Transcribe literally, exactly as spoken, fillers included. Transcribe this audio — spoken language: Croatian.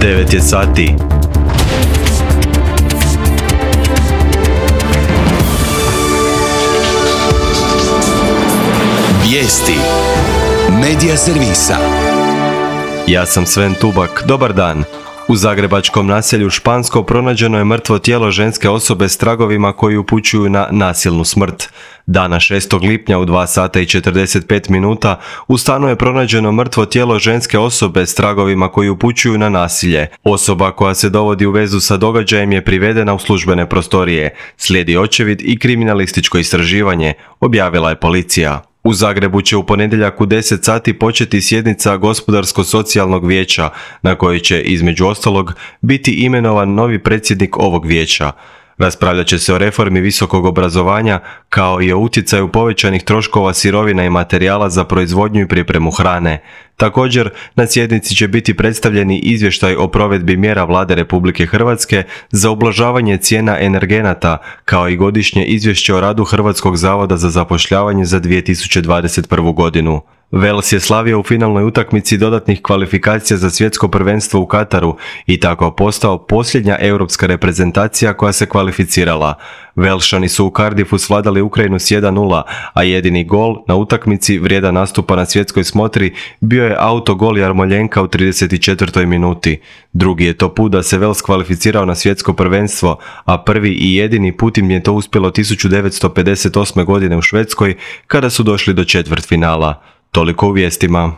devet je sati. Vijesti Medija servisa. Ja sam Sven Tubak, dobar dan. U zagrebačkom naselju Špansko pronađeno je mrtvo tijelo ženske osobe s tragovima koji upućuju na nasilnu smrt. Dana šestog lipnja u dva sata i četrdeset pet minuta u stanu je pronađeno mrtvo tijelo ženske osobe s tragovima koji upućuju na nasilje. Osoba koja se dovodi u vezu sa događajem je privedena u službene prostorije. Slijedi očevid i kriminalističko istraživanje, objavila je policija. U Zagrebu će u ponedjeljak u deset sati početi sjednica Gospodarsko-socijalnog vijeća, na kojoj će, između ostalog, biti imenovan novi predsjednik ovog vijeća. Raspravljat će se o reformi visokog obrazovanja, kao i o utjecaju povećanih troškova sirovina i materijala za proizvodnju i pripremu hrane. Također, na sjednici će biti predstavljeni izvještaj o provedbi mjera Vlade Republike Hrvatske za ublažavanje cijena energenata, kao i godišnje izvješće o radu Hrvatskog zavoda za zapošljavanje za dvije tisuće dvadeset prvu godinu. Wales je slavio u finalnoj utakmici dodatnih kvalifikacija za svjetsko prvenstvo u Kataru i tako postao posljednja europska reprezentacija koja se kvalificirala. Velšani su u Cardiffu svladali Ukrajinu s jedan nula, a jedini gol na utakmici vrijedan nastupa na svjetskoj smotri bio je autogol Jarmoljenka u trideset četvrtoj minuti. Drugi je to put da se Wales kvalificirao na svjetsko prvenstvo, a prvi i jedini put im je to uspjelo tisuću devetsto pedeset osme godine u Švedskoj kada su došli do četvrtfinala. Toliko u vijestima.